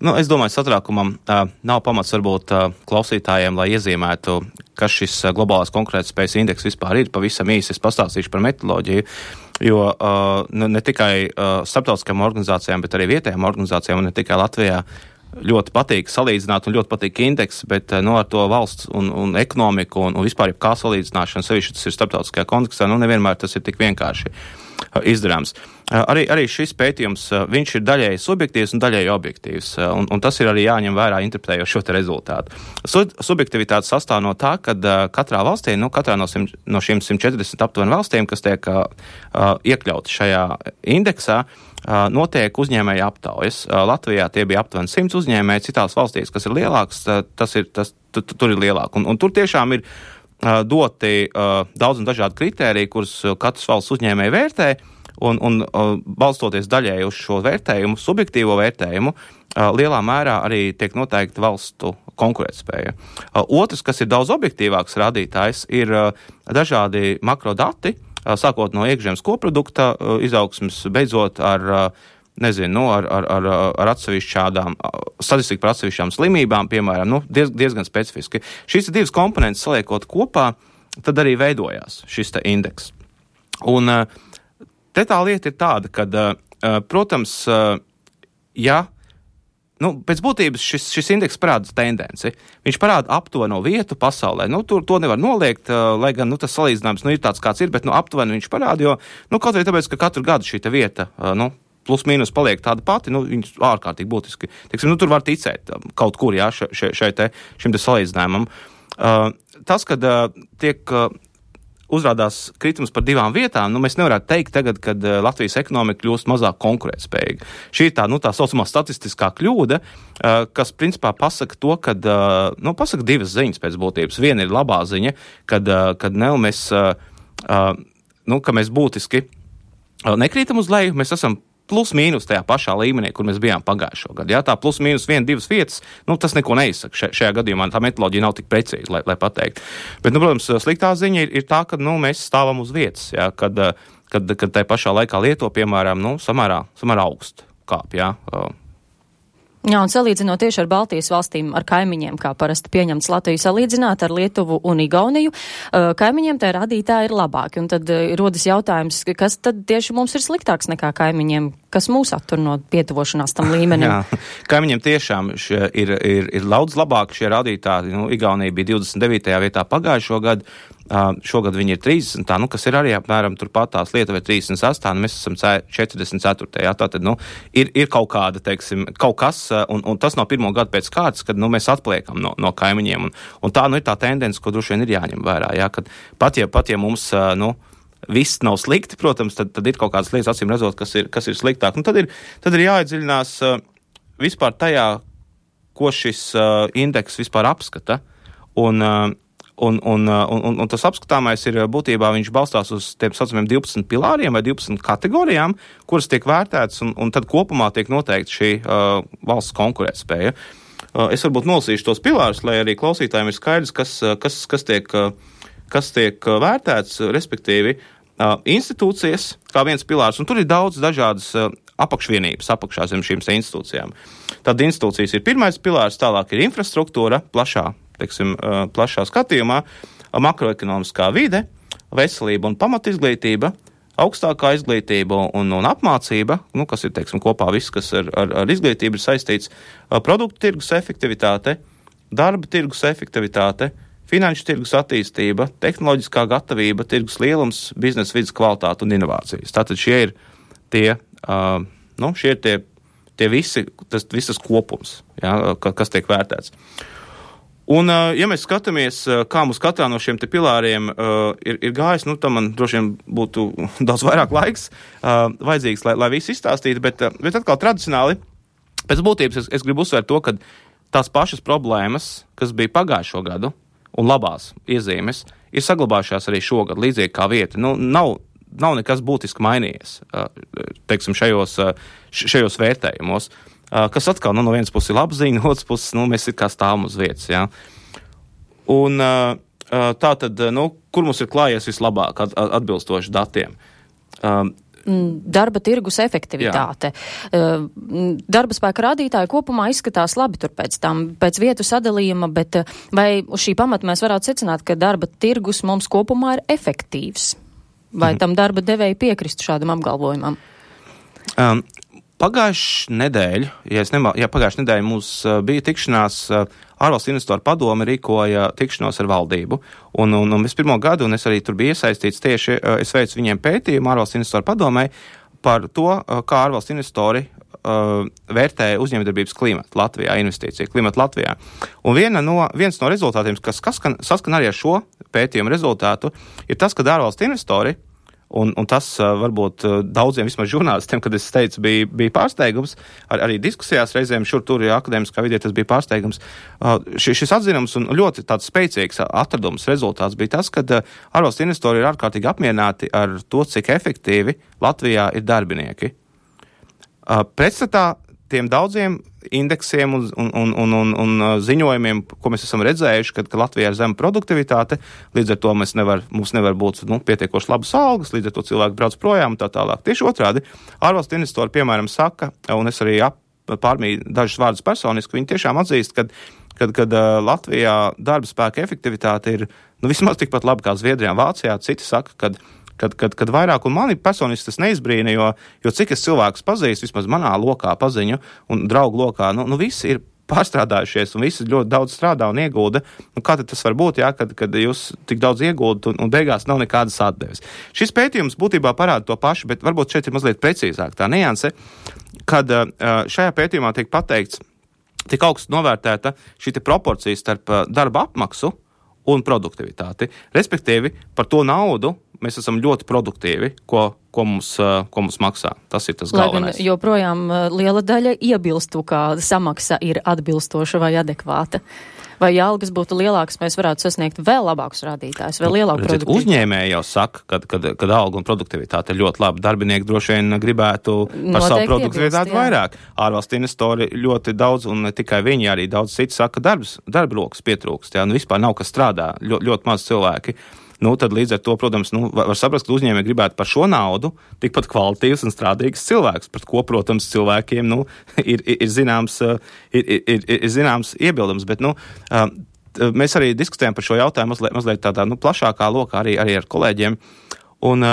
Es domāju, satraukumam nav pamats varbūt klausītājiem, lai iezīmētu, kas šis globālās konkurētspējas indeks vispār ir. Pavisam īsi es pastāstīšu par metodoloģiju, jo ne tikai starptautiskajām organizācijām, bet arī vietējām organizācijām, un ne tikai Latvijā, ļoti patīk salīdzināt un ļoti patīk indeks, bet ar to valsts un ekonomiku un vispār kā salīdzināšana, sevišķi tas ir starptautiskajā kontekstā, nevienmēr tas ir tik vienkārši izdarāms. Arī šis pētījums, viņš ir daļēji subjektīvs un daļēji objektīvs, un tas ir arī jāņem vērā interpretējot šo te rezultātu. Subjektivitāte sastāv no tā, ka katrā valstī, katrā no šiem 140 aptuveni valstīm, kas tiek iekļauti šajā indeksā, notiek uzņēmēja aptaujas. Latvijā tie bija aptuveni 100 uzņēmēji, citās valstīs, kas ir lielāks, tur ir lielāk. Un tur tiešām ir doti daudz un dažādi kritēriji, kurus katrs valsts uzņēmēji vērtē, un balstoties daļēji uz šo vērtējumu, subjektīvo vērtējumu, lielā mērā arī tiek noteikti valstu konkurētspēja. Otrs, kas ir daudz objektīvāks rādītājs, ir dažādi makrodati, sākot no iekšzemes koprodukta izaugsmes, beidzot ar atsevišķām statistiku par atsevišķām slimībām, piemēram, diezgan specifiski. Šīs divas komponentes saliekot kopā, tad arī veidojās šis te indeks. Un te tā lieta ir tāda, ka, protams, pēc būtības šis indeks parāda tendenci. Viņš parāda aptuveno vietu pasaulē. Tur to nevar noliegt, lai gan tas salīdzinājums ir tāds, kāds ir, bet aptuveni viņš parāda, jo kaut vai tāpēc, ka katru gadu šī vieta, plus mīnus paliek tāda pati, viņas ārkārtīgi būtiski. Tur var ticēt kaut kur, šim te salīdzinājumam. Tas, kad tiek uzrādās kritums par divām vietām, mēs nevarētu teikt tagad, kad Latvijas ekonomika kļūst mazāk konkurētspējīga. Šī ir tā saucamā statistiskā kļūda, kas principā pasaka to, kad, pasaka divas ziņas pēc būtības. Viena ir labā ziņa, ka mēs būtiski nekrītam uz leju, mēs esam plus mīnus tajā pašā līmenī, kur mēs bijām pagājušo gadu. Tā plus mīnus 1-2 vietas, tas neko neizsaka. Šajā gadījumā tā metodoloģija nav tik precīza, lai pateikt. Bet, protams, sliktā ziņa ir tā, ka mēs stāvam uz vietas, kad tajā pašā laikā Lietuva, piemēram, samērā augstu kāp, Jā, un salīdzinot tieši ar Baltijas valstīm, ar kaimiņiem, kā parasti pieņemts Latviju salīdzināt ar Lietuvu un Igauniju, kaimiņiem tie rādītāji ir labāki. Un tad rodas jautājums, kas tad tieši mums ir sliktāks nekā kaimiņiem, kas mūs attur no pietuvošanās tam līmenim? Jā, kaimiņiem tiešām ir daudz labāk šie rādītāji. Igaunija bija 29. vietā pagājušo gadu. Šogad viņi ir 30, kas ir arī apmēram turpat tās Lietuva ir 38, mēs esam 44. Tātad, ir kaut kāda, kaut kas, un tas nav pirmo gadu pēc kārtas, kad, mēs atpaliekam no kaimiņiem, un tā, ir tā tendence, ko droši vien ir jāņem vērā, kad pat ja mums, viss nav slikti, protams, tad ir kaut kādas lietas, acīm redzot, kas ir sliktāk, un tad ir jāiedziļinās vispār tajā, ko šis indeks vispār apskata, un tas apskatāmais ir būtībā, viņš balstās uz tiem saucamiem 12 pilāriem vai 12 kategorijām, kuras tiek vērtētas, un tad kopumā tiek noteikti šī valsts konkurētspēja. Es varbūt nolasīšu tos pilārus, lai arī klausītājiem ir skaidrs, kas tiek vērtēts, respektīvi institūcijas, kā viens pilārs, un tur ir daudz dažādas apakšvienības apakšā zem šīm institūcijām. Tad institūcijas ir pirmais pilārs, tālāk ir infrastruktūra, plašā skatījumā, makroekonomiskā vide, veselība un pamatizglītība, augstākā izglītība un apmācība, kas ir, kopā viss, kas ar izglītību ir saistīts, produktu tirgus efektivitāte, darba tirgus efektivitāte, finanšu tirgus attīstība, tehnoloģiskā gatavība, tirgus lielums, biznesa vides kvalitāte un inovācijas. Tātad šie ir tie visi, visas kopums, kas tiek vērtēts. Un, ja mēs skatāmies, kā mums katrā no šiem te pilāriem ir gājis, tam man droši vien būtu daudz vairāk laiks vajadzīgs, lai visu izstāstītu, bet atkal tradicionāli, pēc būtības es gribu uzsvērt to, ka tās pašas problēmas, kas bija pagājušo gadu un labās iezīmes, ir saglabājušās arī šogad, līdzīgi kā vieta. Nav nekas būtiski mainījies, šajos vērtējumos. Kas atkal, no vienas puses ir laba ziņa, no otras puses, mēs ir kā stāvam uz vietas, Un tā tad, kur mums ir klājies vislabāk atbilstoši datiem? darba tirgus efektivitāte. Darba spēka rādītāji kopumā izskatās labi tur pēc vietu sadalījuma, bet vai uz šī pamata mēs varētu secināt, ka darba tirgus mums kopumā ir efektīvs? Vai tam darba devēji piekristu šādam apgalvojumam? Pagājušā nedēļa, pagājušā nedēļa mums bija tikšanās, ārvalstu investoru padome rīkoja tikšanos ar valdību, un es pirmo gadu, un es arī tur biju iesaistīts tieši, es veicu viņiem pētījumu ārvalstu investoru padomei par to, kā ārvalstu investori vērtē uzņēmējdarbības klimatu Latvijā, investīciju klimatu Latvijā. Un viens no rezultātiem, kas saskan arī ar šo pētījumu rezultātu, ir tas, ka ārvalstu investori, un tas varbūt daudziem vismaz žurnālistiem, kad es teicu, bija pārsteigums, arī diskusijās reizēm šur tur akadēmiskā vidē tas bija pārsteigums. Šis atzinums un ļoti tāds spēcīgs atradums rezultāts bija tas, ka ārvalstu investori ir ārkārtīgi apmierināti ar to, cik efektīvi Latvijā ir darbinieki. Pretstatā tiem daudziem indeksiem un ziņojumiem, ko mēs esam redzējuši, ka Latvijā ir zema produktivitāte, līdz ar to mums nevar būt pietiekoši labas algas, līdz ar to cilvēki brauc projām un tā tālāk. Tieši otrādi, ārvalstu investori, piemēram, saka, un es arī pārmīju dažus vārdus personiski, viņi tiešām atzīst, kad Latvijā darba spēka efektivitāte ir vismaz tikpat laba kā Zviedrijā un Vācijā. Citi saka, kad vairāk, un mani personiski tas neizbrīna, jo cik es cilvēkus pazīstu, vismaz manā lokā paziņu un draugu lokā, visi ir pārstrādājušies un visi ļoti daudz strādā un iegulda. Kā tad tas var būt, kad jūs tik daudz ieguldat un beigās nav nekādas atdeves? Šis pētījums būtībā parāda to pašu, bet varbūt šeit ir mazliet precīzāk tā nianse, kad šajā pētījumā tiek pateikts, tik augstu novērtēta šī proporcija starp darba apmaksu un produktivitāti. Respektīvi, par to naudu mēs esam ļoti produktīvi, ko mums maksā. Tas ir tas galvenais. Lai gan joprojām liela daļa iebilstu, kā samaksa ir atbilstoša vai adekvāta. Vai ja algas būtu lielākas, mēs varētu sasniegt vēl labākus rādītājus, vēl lielāku produktivitāti. Uzņēmēji jau saka, kad alga un produktivitāte ir ļoti laba. Darbinieki droši vien gribētu par savu produktivitāti vairāk. Ārvalstu investori ļoti daudz, un ne tikai viņi, arī daudz citi saka, darba rokas pietrūkst. Vispār nav kas strādā, ļoti maz cilvēki. Tad līdz ar to, protams, var saprast, ka uzņēmēji gribētu par šo naudu tikpat kvalitīvs un strādīgs cilvēks, pret ko, protams, cilvēkiem ir zināms iebildums. Bet mēs arī diskutējam par šo jautājumu mazliet tādā plašākā lokā arī ar kolēģiem. Un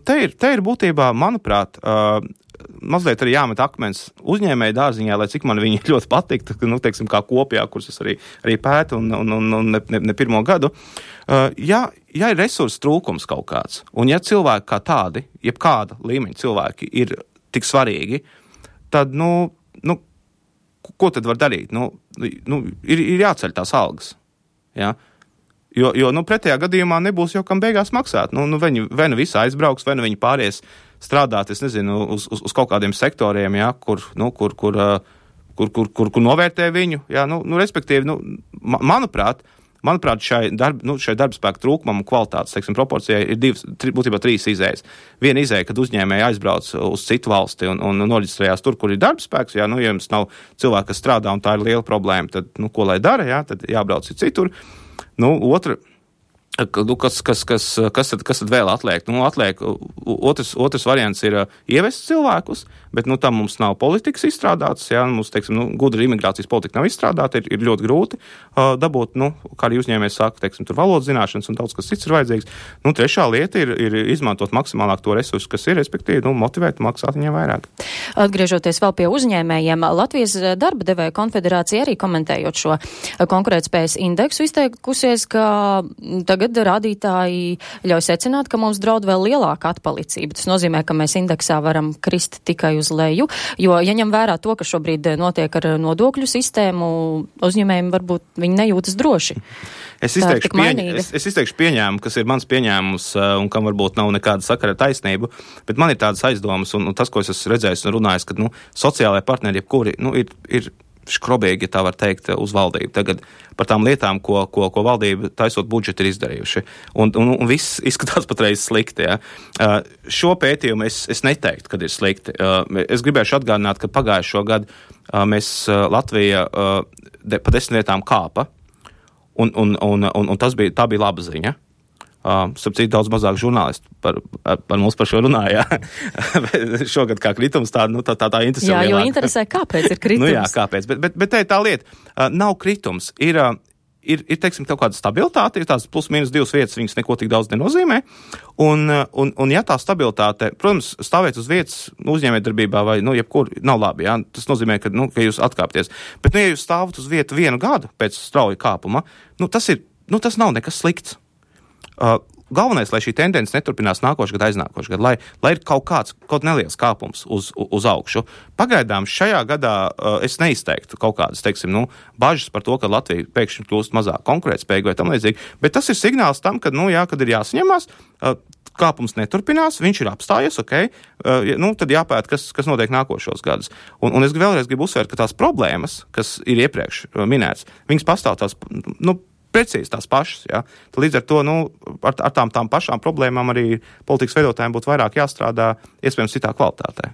te ir būtībā, manuprāt, mazliet arī jāmet akmens uzņēmēju dārziņā, lai cik man viņi ļoti patiktu, teiksim, kā kopijā, kuras es arī pētu un ne pirmo gadu. Ja ir resursu trūkums kaut kāds, un ja cilvēki kā tādi, jebkāda līmeņa cilvēki ir tik svarīgi, tad, ko tad var darīt? Ir jāceļ tās algas, ja? Jo pretējā gadījumā nebūs jau kam beigās maksāt. Vai nu visi aizbrauks, vai nu viņi pāries strādāt, es nezinu, uz kaut kādiem sektoriem, ja, kur novērtē viņu, ja, respektīvi, manuprāt, šai darba spēka trūkumam un kvalitātes, teiksim, proporcijai ir būtībā trīs izējas. Viena izēja, kad uzņēmēji aizbrauc uz citu valsti un noreģistrējās tur, kur ir darba spēks, ja jums nav cilvēki, kas strādā un tā ir liela problēma, tad, ko lai dara, ja, tad jābrauc citur. Otra, kas tad vēl atliek? Otrs variants ir ievest cilvēkus, bet tam mums nav politikas izstrādātas, ja, mums, teiksim, gudra imigrācijas politika nav izstrādāta, ir ļoti grūti dabūt, kā arī uzņēmējs saka, teiksim, tur valodas zināšanas un daudz kas cits ir vajadzīgs. Trešā lieta ir izmantot maksimālāk to resursu, kas ir, respektīvi, motivēt maksāt viņiem vairāk. Atgriežoties vēl pie uzņēmējiem, Latvijas darba devēja konfederācija arī komentējot šo konkurētspējas indeksu izteikusies, ka tagad rādītāji ļauj secināt, ka mums draud vēl lielāka atpalicība. Tas nozīmē, ka mēs indeksā varam krist tikai uz leju, jo, ja ņem vērā to, ka šobrīd notiek ar nodokļu sistēmu, uzņēmējiem varbūt viņi nejūtas droši. Es izteikšu pieņēmumu, kas ir mans pieņēmums un kam varbūt nav nekāda sakara ar taisnību, bet man ir tādas aizdomas un tas, ko es esmu redzējis un runājis, ka sociālajie partneri jebkuri ir škrobīgi, ja tā var teikt, uz valdību. Tagad par tām lietām, ko valdība taisot budžetu ir izdarījuši. Un viss izskatās patreiz slikti. Ja. Šo pētījumu es neteiktu, kad ir slikti. Es gribēšu atgādināt, ka pagājušo gadu mēs Latvija pa 10 vietām kāpa, un tā bija laba ziņa. Starp citu, daudz mazāk žurnālisti par mums par šo runāja. Šogad kā kritums tā interesē. Jā, jo interesē, kāpēc ir kritums. Jā, kāpēc. Bet te ir tā lieta. Nav kritums. Ir, teiksim, kaut kāda stabilitāte, ir tās plus mīnus 2 vietas, viņas neko tik daudz nenozīmē. Un ja tā stabilitāte, protams, stāvēt uz vietas uzņēmējdarbībā vai, jebkur nav labi, jā. Tas nozīmē, ka jūs atkāpties. Bet, ja jūs stāvat uz vietu 1 gadu pēc strauja kāpuma, tas nav nekas slikts. Galvenais, lai šī tendence neturpinās nākošais gadu, aiznākošais gadu, lai ir kaut neliels kāpums uz augšu. Pagaidām šajā gadā es neizteiktu kaut kādas, teiksim, bažas par to, ka Latvija pēkšņi kļūst mazāk konkurētspējīga vai tam līdzīgi, bet tas ir signāls tam, kad ir jāsaņemās, kāpums neturpinās, viņš ir apstājies, tad jāpēt, kas notiek nākošos gadus. Un es vēlreiz gribu uzsvērt, ka tās problēmas, kas ir iepriekš minētas, viņas pastāv tās, precīzi tās pašas, jā. Līdz ar to, ar tām pašām problēmām arī politikas veidotājiem būtu vairāk jāstrādā, iespējams, citā kvalitātē.